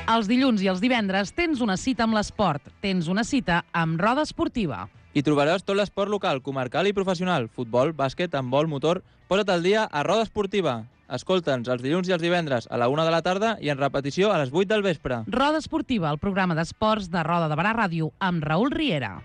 Els dilluns i els divendres tens una cita amb l'esport. Tens una cita amb Roda Esportiva. Hi trobaràs tot l'esport local, comarcal i professional. Futbol, bàsquet, handbol, motor... Posa't al dia a Roda Esportiva. Escolta'ns els dilluns i els divendres a la 1 de la tarda i en repetició a les 8 del vespre. Roda Esportiva, el programa d'esports de Roda de Barà Ràdio amb Raül Riera.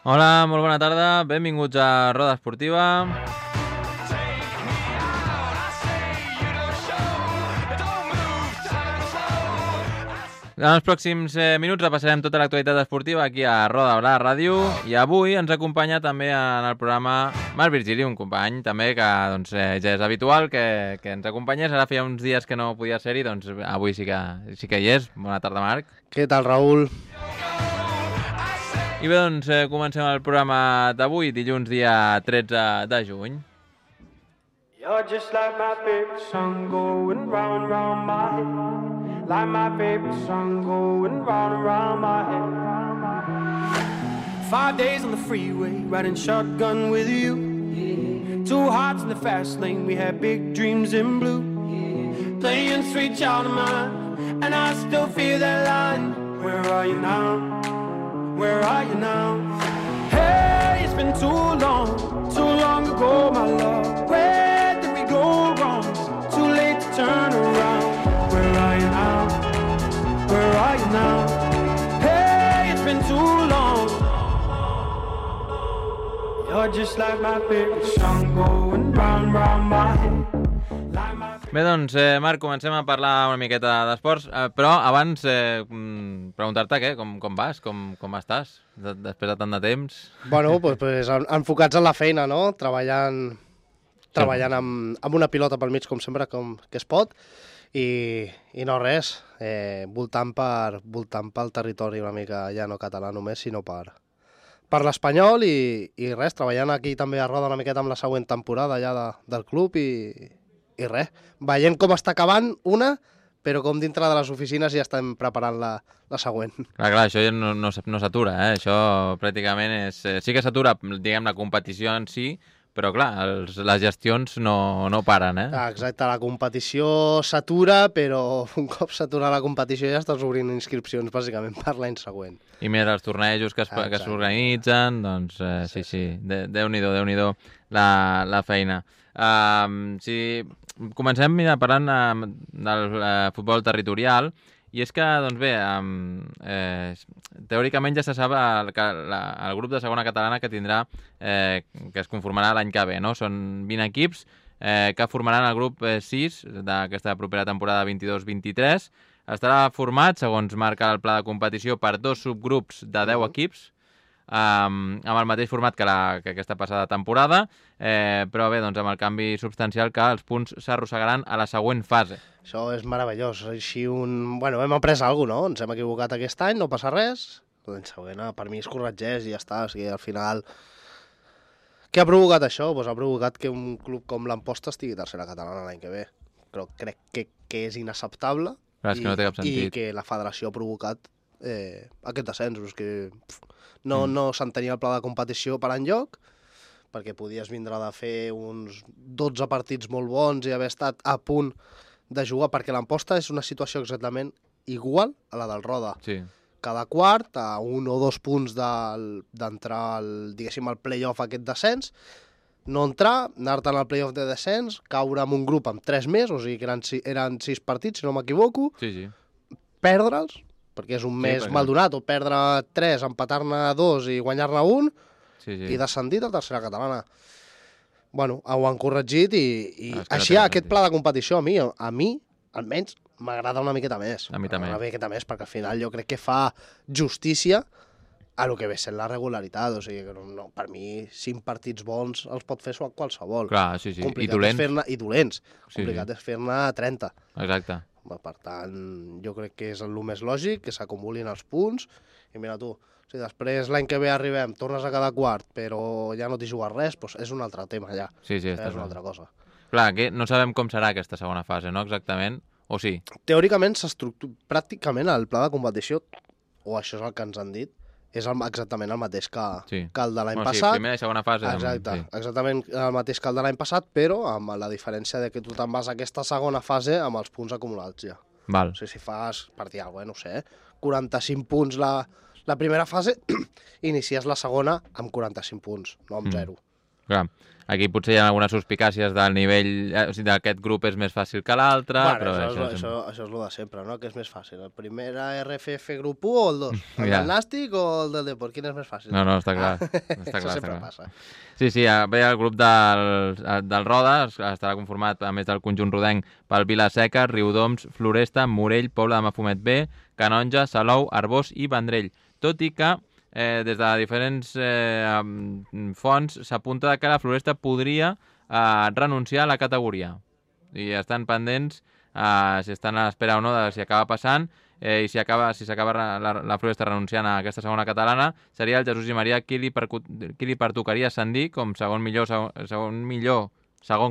Hola, molt bona tarda, benvinguts a Roda Esportiva. En els pròxims minuts repassarem tota l'actualitat esportiva aquí a Roda de Barà Ràdio i avui ens acompanya també en el programa Marc Virgili, un company també que doncs, ja és habitual que ens acompanyés. Ara feia uns dies que no podia ser-hi, doncs avui sí que hi és. Bona tarda, Marc. Què tal, Raül? I bé, doncs comencem el programa d'avui, dilluns dia 13 de juny. You're just like my favorite song going round and round my head. Like my favorite song going round and round my head. 5 days on the freeway, riding shotgun with you. Yeah. 2 hearts in the fast lane, we had big dreams in blue. Yeah. Playing sweet child of mine, and I still feel that line. Where are you now? Where are you now? Hey, it's been too long ago, my love. Where did we go wrong? Too late to turn around. Where are you now? Where are you now? Hey, it's been too long. You're just like my favorite song going round, round my head. Bé, doncs, Marc, comencem a parlar una miqueta d'esports, però abans preguntar-te com vas, com estàs, després de tant de temps? Bueno, pues enfocats en la feina, no? Treballant amb una pilota pel mig, com sempre, que es pot, i no res, voltant pel territori una mica ja no català només, sinó per l'Espanyol i res, treballant aquí també a Roda una miqueta amb la següent temporada ja del club i res, veient com està acabant una, però com dintre de les oficines ja estem preparant la següent. Clar, això ja no s'atura, això pràcticament és... Sí que s'atura, diguem, la competició en si, però clar, les gestions no paren, Exacte, la competició s'atura, però un cop s'atura la competició ja estàs obrint inscripcions, bàsicament, per l'any següent. I més els tornejos que s'organitzen, doncs sí, Déu-n'hi-do la feina. Comencem parlant del futbol territorial, i és que, doncs bé, teòricament ja se sap que el grup de segona catalana que tindrà, que es conformarà l'any que ve, no? Són 20 equips que formaran el grup 6 d'aquesta propera temporada 22-23. Estarà format, segons marca el pla de competició, per 2 subgrups de 10 equips, amb el mateix format que aquesta passada temporada, però bé, doncs amb el canvi substancial que els punts s'arrossegaran a la següent fase. Això és meravellós. Així Bueno, hem après alguna cosa, no? Ens hem equivocat aquest any, no passa res. L'any següent, per mi, es corregeix i ja està. O sigui, al final... Què ha provocat això? Pues ha provocat que un club com l'Amposta estigui tercera catalana l'any que ve. Però crec que és inacceptable. Però és que no té cap sentit. I que la federació ha provocat aquest descens. És que no s'entenia el pla de competició per enlloc, perquè podies vindre de fer uns 12 partits molt bons i haver estat a punt de jugar, perquè l'Amposta és una situació exactament igual a la del Roda. Sí. Cada quart, a 1 o 2 punts d'entrar al play-off aquest descens, no entrar, anar-te'n al play-off de descens, caure en un grup amb 3 més, o sigui que eren 6 partits, si no m'equivoco, Sí. perdre'ls, perquè és un mes mal donat, o perdre 3, empatar-ne 2 i guanyar-ne 1, i descendir a tercera catalana. Bueno, ho han corregit i així aquest pla de competició a mi, almenys, m'agrada una miqueta més. A mi també. Una miqueta més, perquè al final jo crec que fa justícia a lo que ve sent la regularitat. O sigui, que per mi, 5 partits bons els pot fer qualsevol. Clar, sí. Complicat I dolents. Sí. Complicat és fer-ne 30. Exacte. Per tant, jo crec que és el més lògic, que s'acumulin els punts, i mira tu, si després l'any que ve arribem, tornes a cada quart, però ja no t'hi jugues res, doncs és un altre tema ja. Sí, està és una altra cosa. Clar, que no sabem com serà aquesta segona fase, no exactament? O sí? Teòricament, pràcticament el pla de competició, o això és el que ens han dit, és exactament el mateix que el de l'any passat. Sí, primera i segona fase. Exactament el mateix que el de l'any passat, però amb la diferència de que tu te'n vas a aquesta segona fase amb els punts acumulats ja. Val. O sigui, si fas, per dir alguna cosa, no sé, 45 punts la primera fase, inicies la segona amb 45 punts, no amb 0. Clar, aquí potser hi ha algunes suspicàcies del nivell, o sigui, d'aquest grup és més fàcil que l'altre, però això és el de sempre, no? Que és més fàcil, el primer RFF grup 1 o el 2? El del Nàstic o el del Depor? Quin és més fàcil? No, està clar. Això sempre passa. Sí, bé, el grup del Roda estarà conformat, a més del conjunt rodenc, pel Vila-seca, Riudoms, Floresta, Morell, Pobla de Mafumet B, Canonja, Salou, Arbós i Vendrell. Tot i que des de diferents fonts s'apunta que la Floresta podria renunciar a la categoria. I estan pendents, si estan a l'espera o no de si acaba passant, i si s'acaba la Floresta renunciant a aquesta segona catalana, seria el Jesús i Maria qui li pertocaria ascendir com segon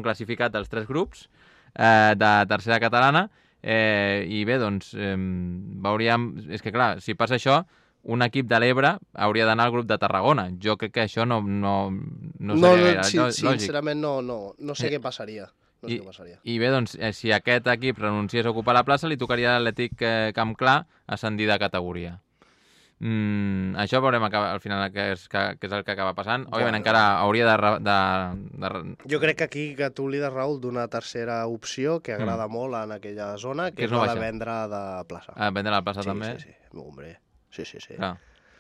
classificat dels 3 grups de tercera catalana. I bé, doncs, veuríem... És que clar, si passa això, un equip de l'Ebre hauria d'anar al grup de Tarragona. Jo crec que això no seria gaire lògic. Sincerament no sé què passaria. I bé, doncs, si aquest equip renunciés a ocupar la plaça, li tocaria a l'Atlètic Camp Clar ascendir de categoria. Això veurem al final què és el que acaba passant. Òbviament encara hauria de... Jo crec que aquí que tu li des, Raül, d'una tercera opció que agrada molt en aquella zona, que és la de vendre de plaça. Vendre la plaça també? Sí, hombre. Sí.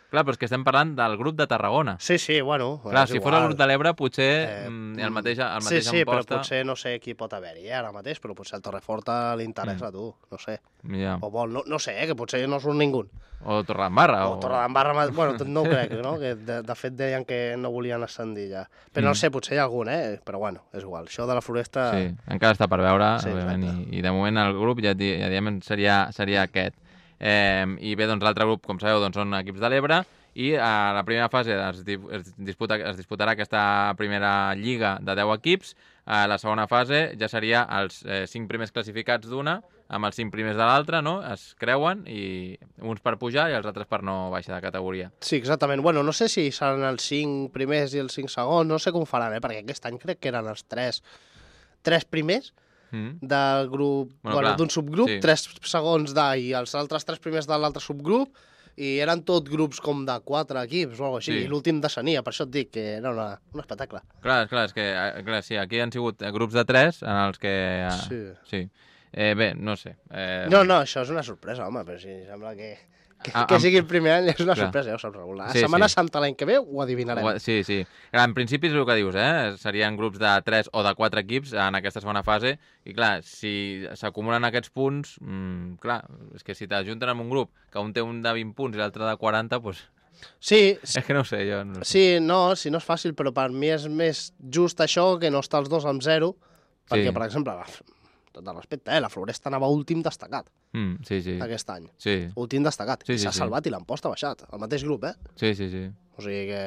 Clar, però és que estem parlant del grup de Tarragona. Sí, bueno... Clar, si fos el grup de l'Ebre, potser el mateix sí, però potser no sé qui pot haver-hi ara mateix, però potser al Torreforta li interessa a tu, no sé. Yeah. O vol, no sé, que potser no surt ningú. O Torredembarra. O Torredembarra, bueno, no ho crec, no? Que de fet deien que no volien ascendir ja. Però no sé, potser hi ha algun, però bueno, és igual. Això de la Floresta... Sí, encara està per veure, òbviament, i de moment el grup ja diem seria aquest. I bé, doncs l'altre grup, com sabeu, doncs, són equips de l'Ebre, i a la primera fase es disputarà aquesta primera lliga de 10 equips. A la segona fase ja seria els 5 primers classificats d'una amb els 5 primers de l'altra, no? Es creuen, i uns per pujar i els altres per no baixar de categoria. Sí, exactament. Bueno, no sé si seran els 5 primers i els 5 segons, no sé com faran, perquè aquest any crec que eren els 3 primers del grup, d'un subgrup, 3 segons i els altres 3 primers de l'altre subgrup, i eren tot grups com de 4 equips o alguna cosa així, i l'últim descenia, per això et dic que era un espectacle. Clar, és que sí, aquí han sigut grups de 3 en els que... Sí. Bé, no sé. No, això és una sorpresa, home, però si sembla que sigui el primer any és una sorpresa, ja ho saps, Raül. La Setmana Santa l'any que ve ho adivinarem. Sí. En principi és el que dius, serien grups de 3 o de 4 equips en aquesta segona fase, i clar, si s'acumulen aquests punts, clar, és que si t'ajunten en un grup que un té un de 20 punts i l'altre de 40, doncs... Sí. És que no ho sé, jo... No sé. Sí, no és fàcil, però per mi és més just això que no estar els dos amb 0, perquè, per exemple, tot el respecte, la Floresta anava últim destacat aquest any. Sí. Últim destacat. I s'ha salvat i l'Amposta ha baixat. El mateix grup, Sí. O sigui que...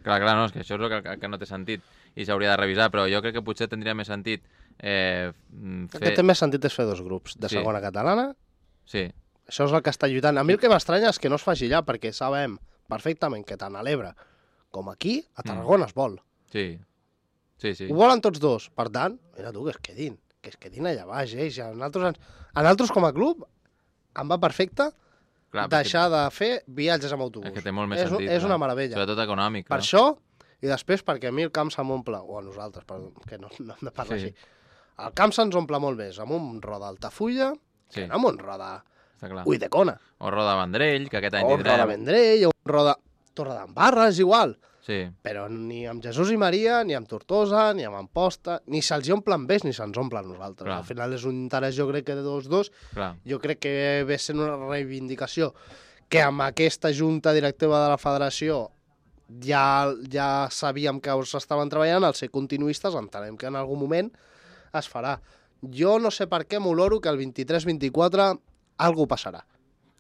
Clar, no, és que això és el que no té sentit i s'hauria de revisar, però jo crec que potser tindria més sentit El que té més sentit és fer 2 grups, de segona catalana. Sí. Això és el que està lluitant. A mi el que m'estranya és que no es faci ja, perquè sabem perfectament que tant a l'Ebre com aquí, a Tarragona es vol. Sí. Ho volen tots 2. Per tant, mira tu, que es quedin allà baix, A nosaltres com a club em va perfecte deixar de fer viatges amb autobús. És que té molt més sentit. És una meravella. Sobretot econòmic. Per això, i després perquè a mi el camp se m'omple, o a nosaltres, que no hem de parlar així, el camp se'ns omple molt més amb un roda Altafulla que no amb un roda Ulldecona. O roda Vendrell, que aquest any tindrem. O roda Vendrell, o roda Torredembarra, és igual. Sí. Però ni amb Jesús i Maria, ni amb Tortosa, ni amb Amposta, ni se'ls omplen bé ni se'ns omplen nosaltres. Al final és un interès, jo crec que de 2-2. Jo crec que ve sent una reivindicació que amb aquesta junta directiva de la federació ja sabíem que s'estaven treballant, al ser continuistes entenem que en algun moment es farà. Jo no sé per què m'oloro que el 23-24 algú passarà.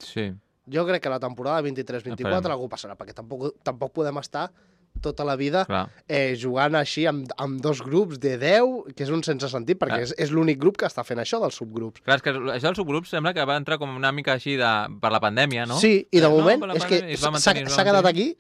Sí. Jo crec que la temporada 23-24 algú passarà, perquè tampoc podem estar tota la vida jugant així amb dos grups de 10, que és un sense sentit, perquè és l'únic grup que està fent això dels subgrups. Clar, és que això dels subgrups sembla que va entrar com una mica així per la pandèmia, no? Sí, i de moment és que s'ha quedat aquí,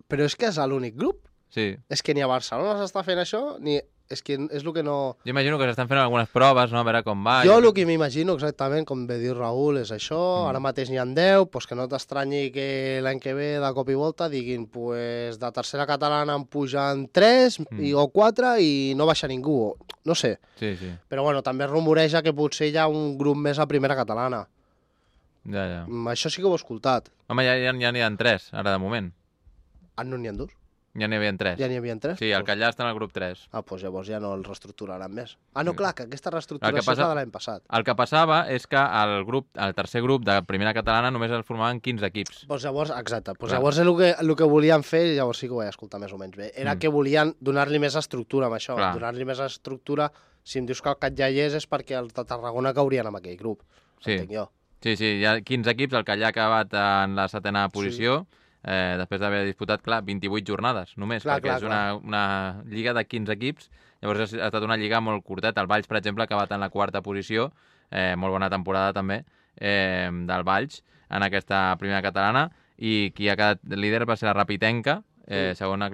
però és que és l'únic grup. Sí. És que ni a Barcelona s'està fent això, ni... És que és el que no... Jo imagino que s'estan fent algunes proves, no? A veure com va. Jo el que m'imagino exactament, com ve dir Raül, és això. Ara mateix n'hi ha 10, doncs que no t'estranyi que l'any que ve, de cop i volta, diguin pues, de tercera catalana en pugen 3 o 4 i no baixa ningú. No sé. Sí, sí. Però bueno, també es rumoreja que potser hi ha un grup més a primera catalana. Ja. Això sí que ho he escoltat. Home, ja n'hi ha 3, ara de moment. No n'hi ha 2? Ja n'hi havia 3. Ja n'hi havia 3? Sí, el Catllà està en el grup 3. Doncs llavors ja no el reestructuraran més. No, clar, que aquesta reestructuració és la de l'any passat. El que passava és que el tercer grup de primera catalana només el formaven 15 equips. Doncs llavors, exacte. Llavors el que volien fer, llavors sí que ho vaig escoltar més o menys bé, era que volien donar-li més estructura amb això. Donar-li més estructura, si em dius que el Catllà hi és perquè els de Tarragona caurien en aquell grup. Entenc jo. Sí, hi ha 15 equips, el Catllà ha acabat en la 7ª posició. Després d'haver disputat, 28 jornades només, perquè és una lliga de 15 equips, llavors ha estat una lliga molt curteta. El Valls, per exemple, ha acabat en la 4ª posició, molt bona temporada també, del Valls en aquesta primera catalana, i qui ha quedat líder va ser la Rapitenca, segon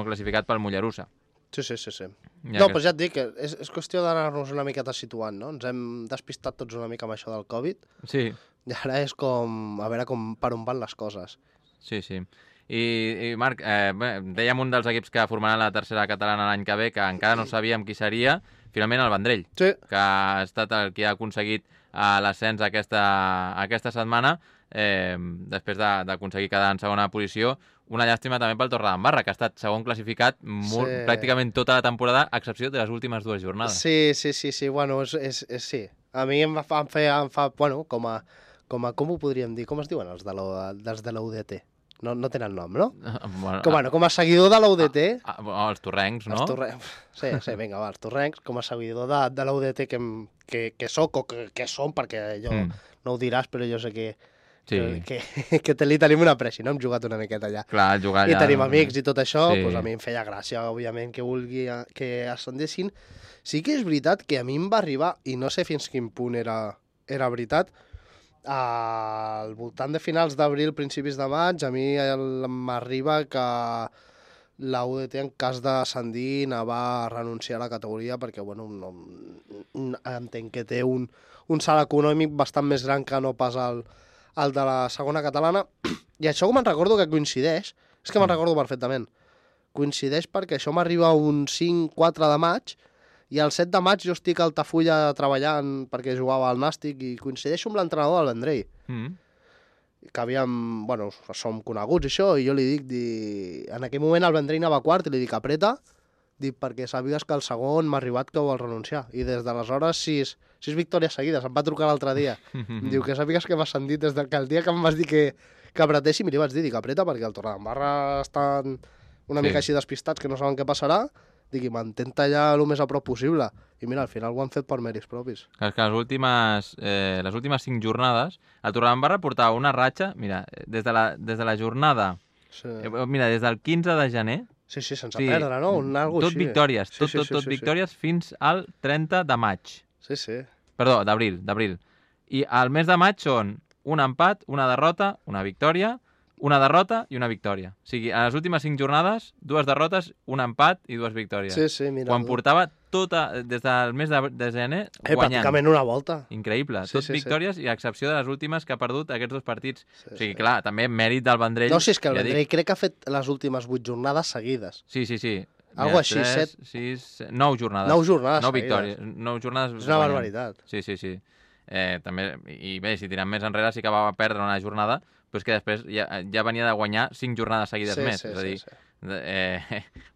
classificat pel Mollerussa. Sí. No, però ja et dic que és qüestió d'anar-nos una miqueta situant, no? Ens hem despistat tots una mica amb això del Covid. Sí. I ara és com, a veure per on van les coses. Sí. I Marc, dèiem un dels equips que formaran la tercera catalana l'any que ve, que encara no sabíem qui seria, finalment el Vendrell, que ha estat el que ha aconseguit l'ascens aquesta setmana, després d'aconseguir quedar en segona posició. Una llàstima també pel Torredembarra, que ha estat segon classificat pràcticament tota la temporada, a excepció de les últimes 2 jornades. Sí, bueno, sí. A mi em fa bueno, com ho podríem dir? Com es diuen els de la UDT? No tenen nom, no? Com a seguidor de la UDT... Els torrencs, no? Sí, vinga, els torrencs. Com a seguidor de la UDT que soc o que som, perquè jo no ho diràs, però jo sé que li tenim una pressa, no? Hem jugat una miqueta allà. Clar, jugar allà... I tenim amics i tot això, doncs a mi em feia gràcia, òbviament, que ascendessin. Sí que és veritat que a mi em va arribar, i no sé fins quin punt era veritat, al voltant de finals d'abril, principis de maig, a mi m'arriba que la UDT, en cas d'ascendir, va a renunciar a la categoria perquè, bueno, entenc que té un salt econòmic bastant més gran que no pas el de la segona catalana. I això me'n recordo que coincideix, és que me'n recordo perfectament, coincideix perquè això m'arriba un 5-4 de maig, i el 7 de maig jo estic a Altafulla treballant perquè jugava al Nàstic i coincideixo amb l'entrenador del Vendrell. Que som coneguts i això, i jo li dic, en aquell moment el Vendrell anava quart i li dic, apreta, perquè sàpigues que el segon m'ha arribat que vol renunciar. I des d'aleshores 6 victòries seguides, em va trucar l'altre dia. Em diu que sàpigues que m'has sentit des del que el dia que em vas dir que apretéssim, i li vaig dir, apreta perquè el Torredembarra estan una mica així despistats que no saben què passarà. Dic, mantén-te allà el més a prop possible. I mira, al final ho han fet per mèrits propis. És que les últimes 5 jornades, el Torredembarra portava una ratxa, mira, des de la jornada, mira, des del 15 de gener... Sí, sense perdre, no? Tot victòries, tot victòries fins al 30 de maig. Sí. Perdó, d'abril. I al mes de maig són un empat, una derrota, una victòria, una derrota i una victòria. O sigui, a les últimes 5 jornades, 2 derrotes, un empat i 2 victòries. Sí, mira. Quan portava des del mes de gener guanyant. Pràcticament una volta. Increïble. Tot victòries i a excepció de les últimes que ha perdut aquests 2 partits. O sigui, clar, també mèrit del Vendrell. No, és que el Vendrell crec que ha fet les últimes 8 jornades seguides. Sí. Algo així, 9 jornades. 9 jornades 9 victòries. 9 jornades. És una barbaritat. Sí. També, i bé, si tirem més enrere sí que va perdre una jornada, però és que després ja venia de guanyar 5 jornades seguides més. És a dir,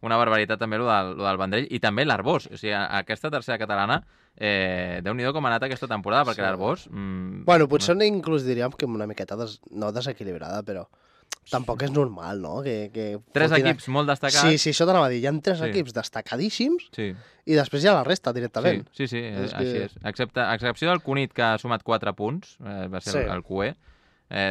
una barbaritat també el del Vendrell, i també l'Arbós. O sigui, aquesta tercera catalana, Déu-n'hi-do com ha anat aquesta temporada, perquè l'Arbós... Bueno, potser inclús diríem que una miqueta no desequilibrada, però tampoc és normal, no? Tres equips molt destacats. Sí, això t'anava a dir. Hi ha 3 equips destacadíssims i després hi ha la resta directament. Sí, així és. A excepció del Cunit, que ha sumat 4 punts, va ser el QE,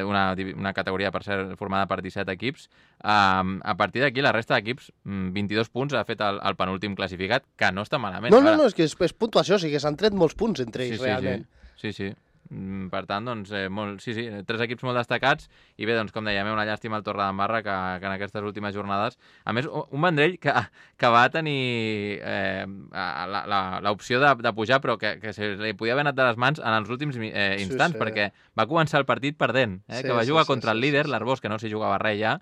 una categoria, per ser formada per 17 equips. A partir d'aquí, la resta d'equips, 22 punts, ha fet el penúltim classificat, que no està malament. No, és que és puntuació, o sigui que s'han tret molts punts entre ells, realment. Sí. Per tant, doncs, 3 equips molt destacats i bé, doncs, com dèiem, una llàstima al Torredembarra que en aquestes últimes jornades, a més, un Vendrell que va tenir l'opció de pujar, però que se li podia haver anat de les mans en els últims instants, perquè va començar el partit perdent, que va jugar contra el líder, l'Arbós, que no s'hi jugava res ja,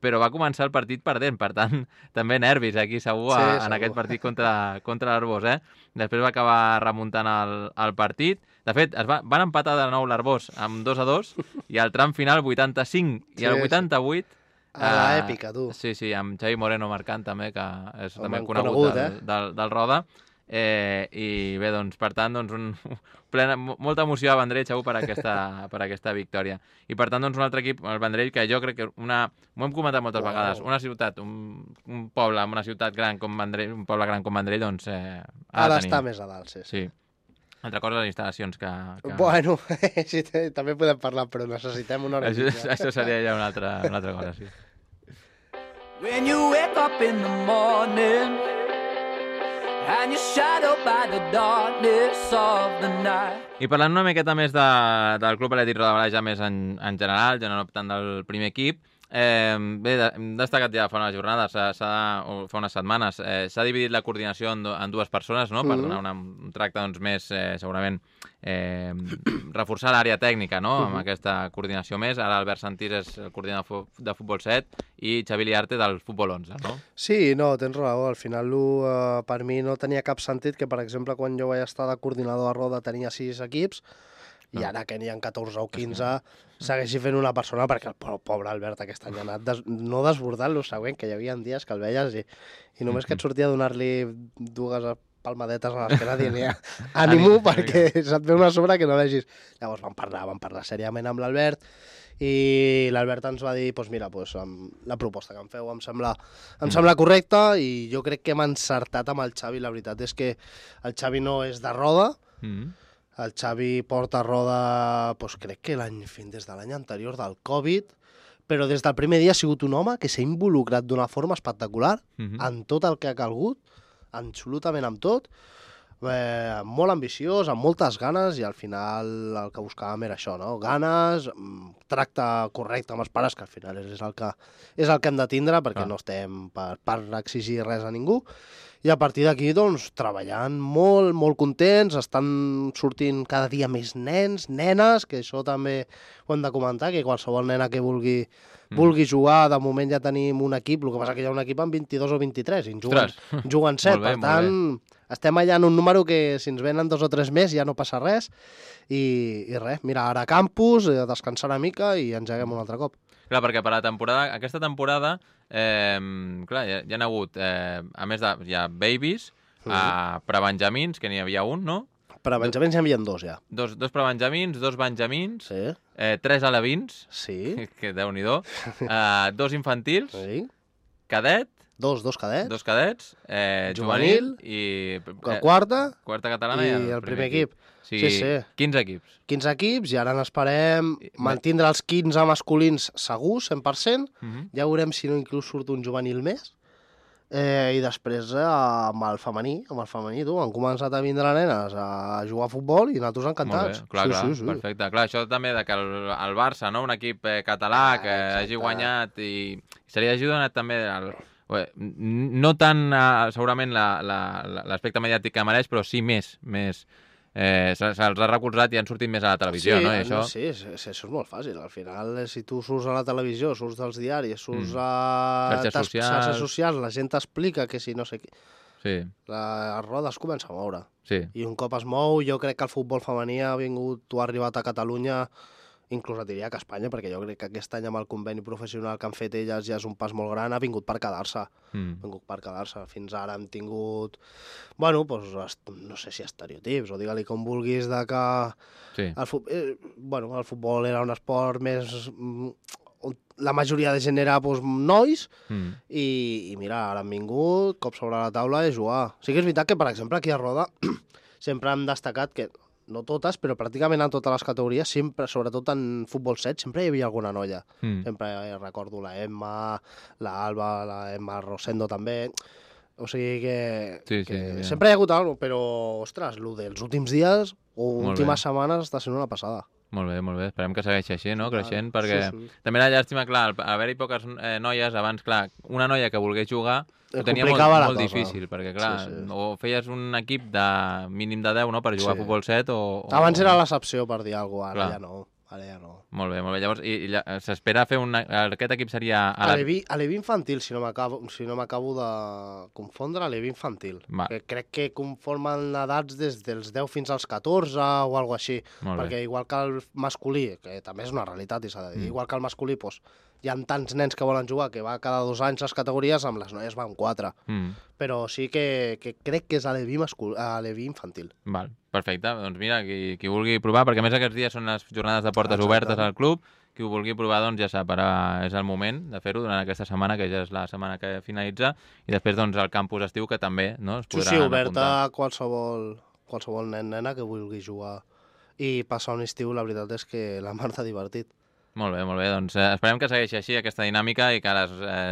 però va començar el partit perdent, per tant, també nervis aquí segur en aquest partit contra l'Arbós. Després va acabar remuntant el partit. De fet, van empatar de nou l'Arbós amb 2-2 i al tram final 85 i el 88... A l'èpica, tu. Sí, amb Xavi Moreno marcant també, que és també conegut del Roda. I bé, doncs, per tant, molta emoció a Vendrell, segur, per aquesta victòria. I per tant, doncs, un altre equip, el Vendrell, que jo crec que ho hem comentat moltes vegades, una ciutat, un poble amb una ciutat gran com Vendrell, un poble gran com Vendrell, doncs ha d'estar més a dalt, sí. Altra cosa, les instal·lacions que... Bueno, sí, també podem parlar, però necessitem una hora. Això seria ja una altra cosa, sí. When you wake up in the morning and you're shadowed by the darkness of the night. I parlant una miqueta més del Club Atlètic Roda ja més en general, ja no tant del primer equip, bé, hem destacat ja fa unes jornades, fa unes setmanes, s'ha dividit la coordinació en 2 persones, no?, per donar un tracte doncs, més, segurament, reforçar l'àrea tècnica, no?, amb aquesta coordinació més. Ara Albert Santís és el coordinador de Futbol 7 i Xavi Liarte del Futbol 11, no? Sí, no, tens raó. Al final, per mi no tenia cap sentit que, per exemple, quan jo vaig estar de coordinador a Roda tenia 6 equips, i ara que n'hi ha 14 o 15 segueixi fent una persona, perquè el pobre Albert aquest any ha anat no desbordant lo següent, que hi havia dies que el veies i només que et sortia a donar-li 2 palmadetes a l'esquena dient ànimo, perquè se't ve una sobre que no vegis. Llavors vam parlar seriament amb l'Albert i l'Albert ens va dir, doncs mira, la proposta que em feu em sembla correcta i jo crec que hem encertat amb el Xavi. La veritat és que el Xavi no és de Roda, el Xavi porta a Roda, crec que des de l'any anterior del Covid, però des del primer dia ha sigut un home que s'ha involucrat d'una forma espectacular en tot el que ha calgut, absolutament amb tot, molt ambiciós, amb moltes ganes, i al final el que buscàvem era això, no? Ganes, tracte correcte amb els pares, que al final és el que hem de tindre, perquè no estem per exigir res a ningú. I a partir d'aquí, doncs, treballant molt, molt contents, estan sortint cada dia més nens, nenes, que això també ho hem de comentar, que qualsevol nena que vulgui jugar, de moment ja tenim un equip, el que passa que hi ha un equip amb 22 o 23, i juguen 7, per tant, estem allà en un número que si ens venen 2 o 3 més ja no passa res, i res, mira, ara a campus, descansar una mica i engeguem un altre cop. Clar, perquè per aquesta temporada, clar, hi ha hagut, a més hi ha babies, prebenjamins, que n'hi havia un, no? Prebenjamins n'hi havia 2, ja. Dos prebenjamins, 2 benjamins, sí. 3 alevins, sí. Que Déu-n'hi-do, 2 infantils, sí. Cadet, dos cadets, juvenil i... quarta catalana i el primer equip. Sí. 15 equips. 15 equips, i ara n'esperem mantindre els 15 masculins segurs, 100%. Ja veurem si no inclús surt un juvenil més. I després amb el femení, tu, han començat a vindre nenes a jugar a futbol i nosaltres encantats. Clar, sí. Perfecte. Clar, això també que el Barça, no, un equip català que hagi guanyat i se li hagi donat també no tant segurament l'aspecte mediàtic que mereix, però sí més. Se'ls ha recolzat i han sortit més a la televisió, no? I això... Sí, això és molt fàcil. Al final, si tu surts a la televisió, surts dels diaris, surts a xarxes socials, la gent t'explica que si no sé què... Sí. La roda es comença a moure. Sí. I un cop es mou, jo crec que el futbol femení ha arribat a Catalunya, inclús et diria que a Espanya, perquè jo crec que aquest any amb el conveni professional que han fet elles ja és un pas molt gran, ha vingut per quedar-se. Fins ara hem tingut, no sé si estereotips, o digue-li com vulguis, de que el futbol era un esport més la majoria de gent era nois, i mira, ara han vingut, cop sobre la taula i jugar. Sí que és veritat que, per exemple, aquí a Roda sempre hem destacat que, no totes, però pràcticament en totes les categories, sempre, sobretot en futbol 7, sempre hi havia alguna noia. Sempre recordo la Emma, la Alba, la Emma Rosendo també. O sigui que sempre hi ha hagut alguna cosa, però, ostres, el dels últims dies o últimes setmanes està sent una passada. Molt bé. Esperem que segueixi així, no? Creixent, perquè també la llàstima, clar, haver-hi poques noies, abans, clar, una noia que volgués jugar ho tenia molt difícil, perquè, clar, o feies un equip de mínim de 10, no?, per jugar a futbol 7, o... Abans era l'excepció, per dir alguna cosa, ara ja no. Molt bé. Llavors, s'espera fer aquest equip seria... Alevi infantil, si no m'acabo de confondre, Alevi infantil. Que crec que conformen edats des dels 10 fins als 14 o alguna cosa així. Perquè igual que el masculí, que també és una realitat, i s'ha de dir, igual que el masculí, doncs, hi ha tants nens que volen jugar que va cada 2 anys les categories, amb les noies van 4. Però sí que crec que és Alevi infantil. Val, perfecte. Doncs mira, qui vulgui provar, perquè a més aquests dies són les jornades de portes obertes al club, qui ho vulgui provar, doncs ja sap, ara és el moment de fer-ho durant aquesta setmana, que ja és la setmana que finalitza, i després doncs el campus estiu, que també no, es podrà apuntar. Obert a qualsevol nen-nena que vulgui jugar i passar un estiu, la veritat és que la mar t'ha divertit. Molt bé, doncs esperem que segueixi així aquesta dinàmica i que les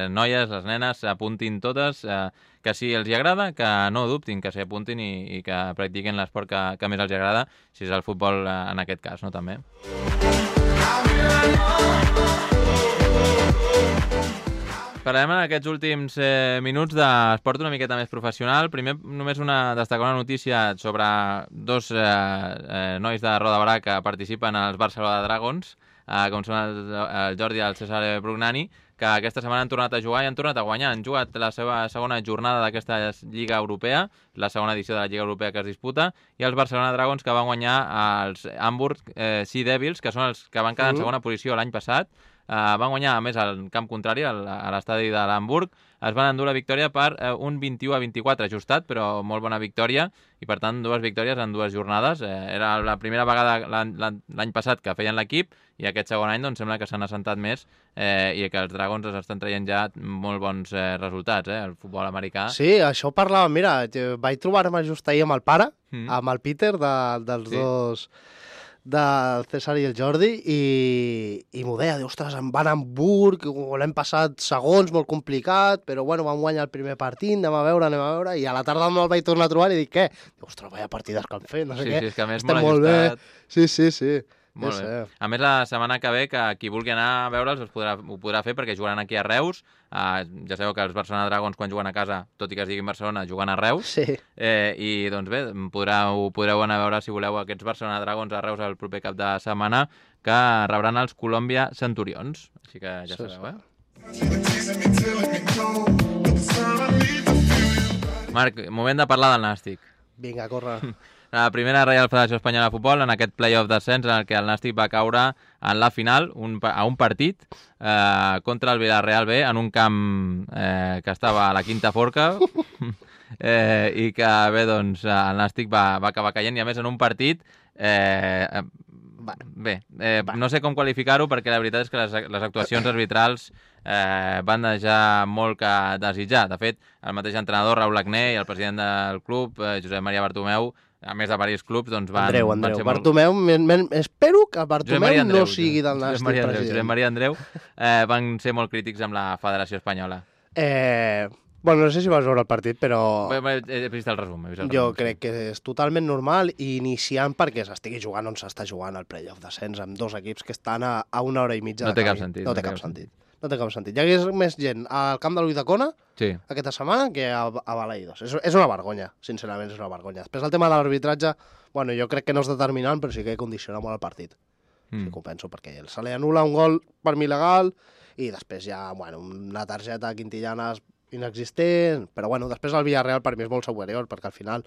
noies, les nenes, s'apuntin totes, que si els hi agrada, que no dubtin, que s'hi apuntin i que practiquin l'esport que més els agrada, si és el futbol en aquest cas, no, també. Parlem en aquests últims minuts d'esport una miqueta més professional. Primer, només destacar una notícia sobre 2 nois de Roda Barà que participen als Barcelona Dragons, com són el Jordi i el César Brugnani, que aquesta setmana han tornat a jugar i han tornat a guanyar. Han jugat la seva segona jornada d'aquesta Lliga Europea, la segona edició de la Lliga Europea que es disputa, i els Barcelona Dragons, que van guanyar els Hamburg Sea Devils, que són els que van quedar en segona posició l'any passat. Van guanyar, a més, al camp contrari, a l'estadi de l'Hamburg. Es van endur la victòria per un 21-24, ajustat, però molt bona victòria, i per tant 2 victòries en 2 jornades. Era la primera vegada l'any passat que feien l'equip, i aquest segon any doncs, sembla que s'han assentat més i que els Dragons estan traient ja molt bons resultats, el futbol americà. Sí, això parlava, mira, vaig trobar-me just ahir amb el pare, amb el Peter, dels dos, del César i el Jordi, i m'ho deia, ostres, em van a Hamburg, l'hem passat segons, molt complicat, però bueno, vam guanyar el primer partit, anem a veure, i a la tarda me'l vaig tornar a trobar i dic, què? Ostres, vaya partides que han fet, no sé què. Sí, és que a més molt ajustat. Sí. Molt bé. A més, la setmana que ve, que qui vulgui anar a veure'ls ho podrà fer, perquè jugaran aquí a Reus. Ja sabeu que els Barcelona Dragons, quan juguen a casa, tot i que es digui Barcelona, juguen a Reus. Sí. I doncs bé, podreu anar a veure, si voleu, aquests Barcelona Dragons a Reus el proper cap de setmana, que rebran els Colòmbia Centurions. Així que ja sabeu, Marc, moment de parlar del Nàstic. Vinga, corre. La primera Reial Federació Espanyola de Futbol, en aquest play-off d'ascens en el que el Nàstic va caure en la final a un partit contra el Villarreal B, en un camp que estava a la Quinta Forca, i que bé, doncs, el Nàstic va acabar caient, i a més en un partit no sé com qualificar-ho, perquè la veritat és que les actuacions arbitrals van deixar molt que desitjar. De fet, el mateix entrenador, Raúl Agné, i el president del club, Josep Maria Bartomeu, a més de diversos clubs, doncs van ser molt... Bartomeu, espero que Bartomeu no sigui del Nàstic president. Josep Maria Andreu van ser molt crítics amb la Federació Espanyola. Bueno, no sé si vas veure el partit, però... He vist el resum. Jo crec que és totalment normal i iniciant perquè s'estigui jugant on s'està jugant el play-off d'ascens amb 2 equips que estan a 1 hora i mitja. No té cap sentit. No té cap sentit. Hi hagués més gent al camp de l'Uidacona aquesta setmana que a Balaidos. És una vergonya, sincerament, és una vergonya. Després el tema de l'arbitratge, bueno, jo crec que no és determinant, però sí que condiciona molt el partit. Sí que ho penso, perquè se li anul·la un gol per mi legal i després ja, bueno, una targeta a Quintillanes inexistent, però bueno, després el Villarreal per mi és molt superior, perquè al final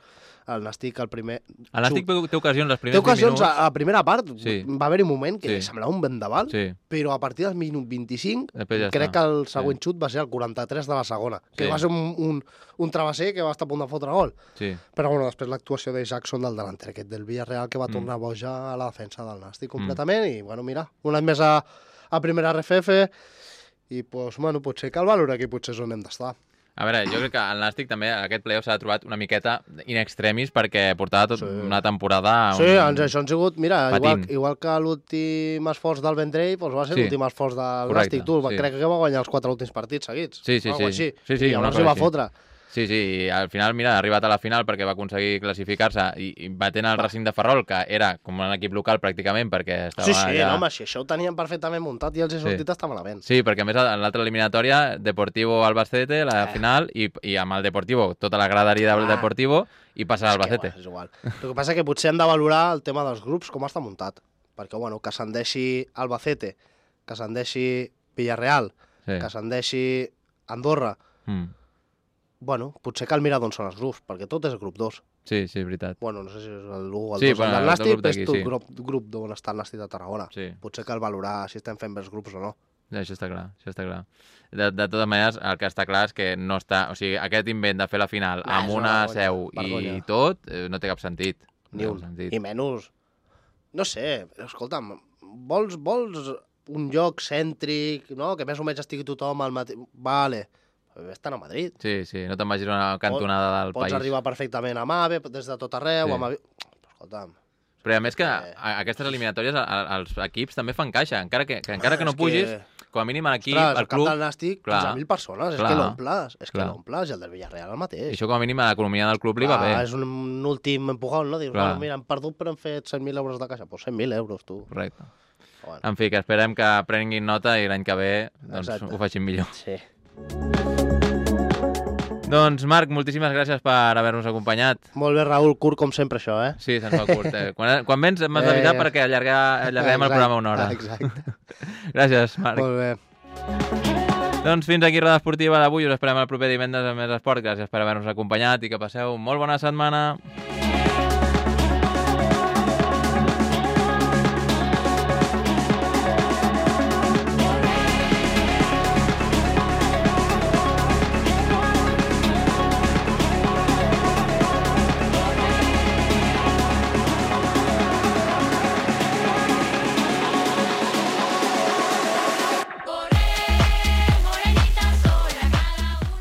el Nàstic el primer... El Nàstic té ocasions, els primers Té 20 ocasions minuts. a primera part, Sí. va haver-hi un moment que Sí. semblava un vendaval, Sí, però a partir del minut 25 després ja crec està. que el següent xut va ser el 43 de la segona, que Sí. va ser un travesser que va estar a punt de fotre gol. Sí. Però bueno, després l'actuació de Jackson del delanter aquest del Villarreal que va tornar boja a la defensa del Nàstic completament i bueno, mira, un any més a primera RFF i pues, bueno, potser cal valorar aquí potser és on hem d'estar. A veure, jo crec que el Nàstic també aquest playoff s'ha trobat una miqueta in extremis perquè portava una temporada... Sí, això han sigut, mira, patint. igual que l'últim esforç del Vendrell, doncs va ser Sí. l'últim esforç del Correcte, Nàstic. Tu, sí. crec que va guanyar els 4 últims partits seguits. Sí, sí, o alguna sí. cosa Sí, sí, I una llavors cosa hi va així. fotre. Sí, sí, i al final, mira, ha arribat a la final perquè va aconseguir classificar-se i batent el Racing de Ferrol, que era com un equip local pràcticament, perquè estava Sí, allà... no, home, si això ho tenien perfectament muntat i els he sortit està malament. Sí, perquè a més en l'altra eliminatòria, Deportivo Albacete, la final, i amb el Deportivo, tota la graderia del Deportivo, i passa l'Albacete. És igual. El que passa és que potser hem de valorar el tema dels grups, com està muntat. Perquè, bueno, que s'endeixi Albacete, que s'endeixi Villarreal, Sí. que s'endeixi Andorra, bueno, potser cal mirar d'on són els grups, perquè tot és grup 2. Sí, sí, és veritat. Bueno, no sé si és l'1 o el 2 Sí, del bueno, el Nàstic, grup d'aquí, és tot sí. grup d'on està el Nàstic de Tarragona. Sí. Potser cal valorar si estem fent bé els grups o no. Ja, això està clar, això està clar. De totes maneres, el que està clar és que no està... O sigui, aquest invent de fer la final amb és una una seu vergonya. i tot, no té cap sentit. Ni No té un. cap sentit. I menys... No sé, escolta'm, vols un lloc cèntric, no? Que més o menys estigui tothom al mateix... Vale, vés-te'n a Madrid. Sí, sí, no te'n vagis a una cantonada del Pots país. arribar perfectament a MAVE, des de tot arreu, Sí. amb avi... Escolta'm, Però a més que aquestes eliminatòries els equips també fan caixa, encara que no és pugis, que- com a mínim a l'equip, ostres, al el camp club, del Nàstic, clar, 15.000 persones, és clar, que l'omples, clar. i el del Villarreal el mateix. i això com a mínim a l'economia del club li va bé. És un últim empujón, no? Dius, Clar. bueno, mira, hem perdut però hem fet 100.000 euros de caixa. Pues 100.000 euros, tu. Correcte. Bueno, En fi, que esperem que prenguin nota i l'any que ve doncs, Exacte. ho facin millor. sí. Doncs, Marc, moltíssimes gràcies per haver-nos acompanyat. Molt bé, Raül, curt com sempre això, eh? Sí, se'ns fa curt. Quan vens m'has d'avisar perquè allarguem el programa una hora. Exacte. Gràcies, Marc. Molt bé. Doncs fins aquí Roda Esportiva d'avui. Us esperem el proper divendres amb més esport. Gràcies per haver-nos acompanyat i que passeu molt bona setmana.